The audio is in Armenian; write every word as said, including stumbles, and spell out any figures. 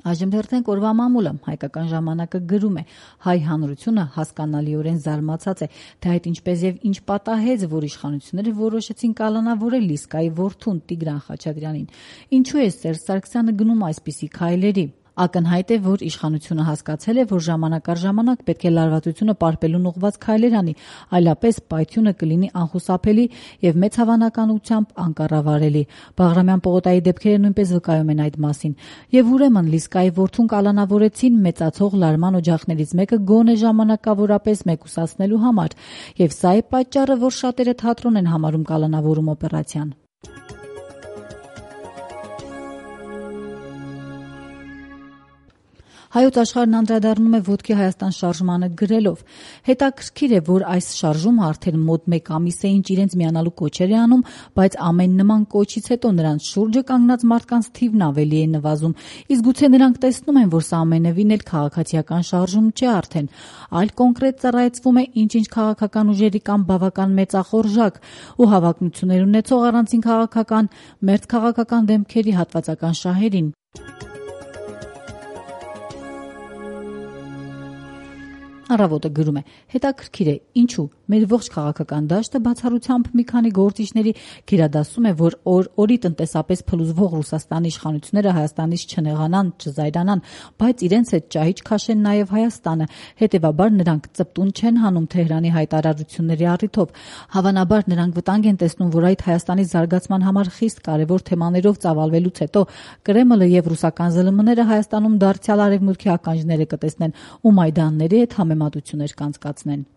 Այժմ դերթենք օրվա մամուլը, հայկական ժամանակը գրում է. հայ հանրությունը հասկանալիորեն զարմացած է, թե այդ ինչպես եւ ինչ պատահեց, որ իշխանությունները որոշեցին կալանավորել Լիսկայի որդուն Տիգրան Խաչատրյանին։ Ինչու է Սերժ Սարգսյանը գնում այսպիսի քայլերի։ Ակնհայտ է, որ իշխանությունը հասկացել է, որ ժամանակ առ ժամանակ պետք է լարվածությունը պարպելուն ուղղված քայլեր անի, այլապես պայթյունը կլինի անխուսափելի եւ մեծ հավանականությամբ անկառավարելի։ Բաղրամյան պողոտայի դեպքերը նույնպես վկայում են այդ մասին։ Եվ ուրեմն Լիսկայի որդուն կալանավորեցին մեծացող լարման օջախներից մեկը գոնե ժամանակավորապես մեկուսացնելու համար։ Եվ սա է պատճառը, որ շատերը թատրոն են համարում կալանավորում օպերացիան։ Հայոց աշխարհն անդրադառնում է ոտքի Հայաստան շարժմանը գրելով. հետաքրքիր է, որ այս շարժումը արդեն մոտ մեկ ամիս է ինչ իրենց միանալու կոչեր է անում, բայց ամեն նման կոչից հետո նրանց շուրջը կանգնած մարդկանց թիվն ավելի է նվազում, իսկ գուցե նրանք տեսնում են, որ սա ամենևին էլ քաղաքացիական շարժում չէ արդեն, այլ կոնկրետ ծառայեցվում է ինչ-ինչ քաղաքական ուժերի կամ բավական մեծախորժակ ու հավակնություններ ունեցող առանցին քաղաքական, մերձ քաղաքական դեմքերի հատվածական շահերին։ Առավոտը գրում է. հետաքրքիր է, ինչու մեր ողջ քաղաքական դաշտը բացառությամբ մի քանի գործիչների գերադասում է, որ օր-օրի տնտեսապես փլուզվող Ռուսաստանի իշխանությունները Հայաստանից չնեղանան, չզայրանան, բայց իրենց հետ ճահիճ քաշեն նաև Հայաստանը, հետևաբար նրանք ծպտուն չեն հանում Թեհրանի հայտարարությունների առիթով։ Հավանաբար նրանք վտանգ են տեսնում, որ այդ Հայաստանի զարգացման համար խիստ կարևոր թեմաներով ծավալվելուց հետո Կրեմլը եւ ռուսական զլ մ-ները Հայաստանում դարձյալ արևմուտքի ականջները կտեսնեն ու Մայդանների հետ համեմատություններ կանցկացնեն։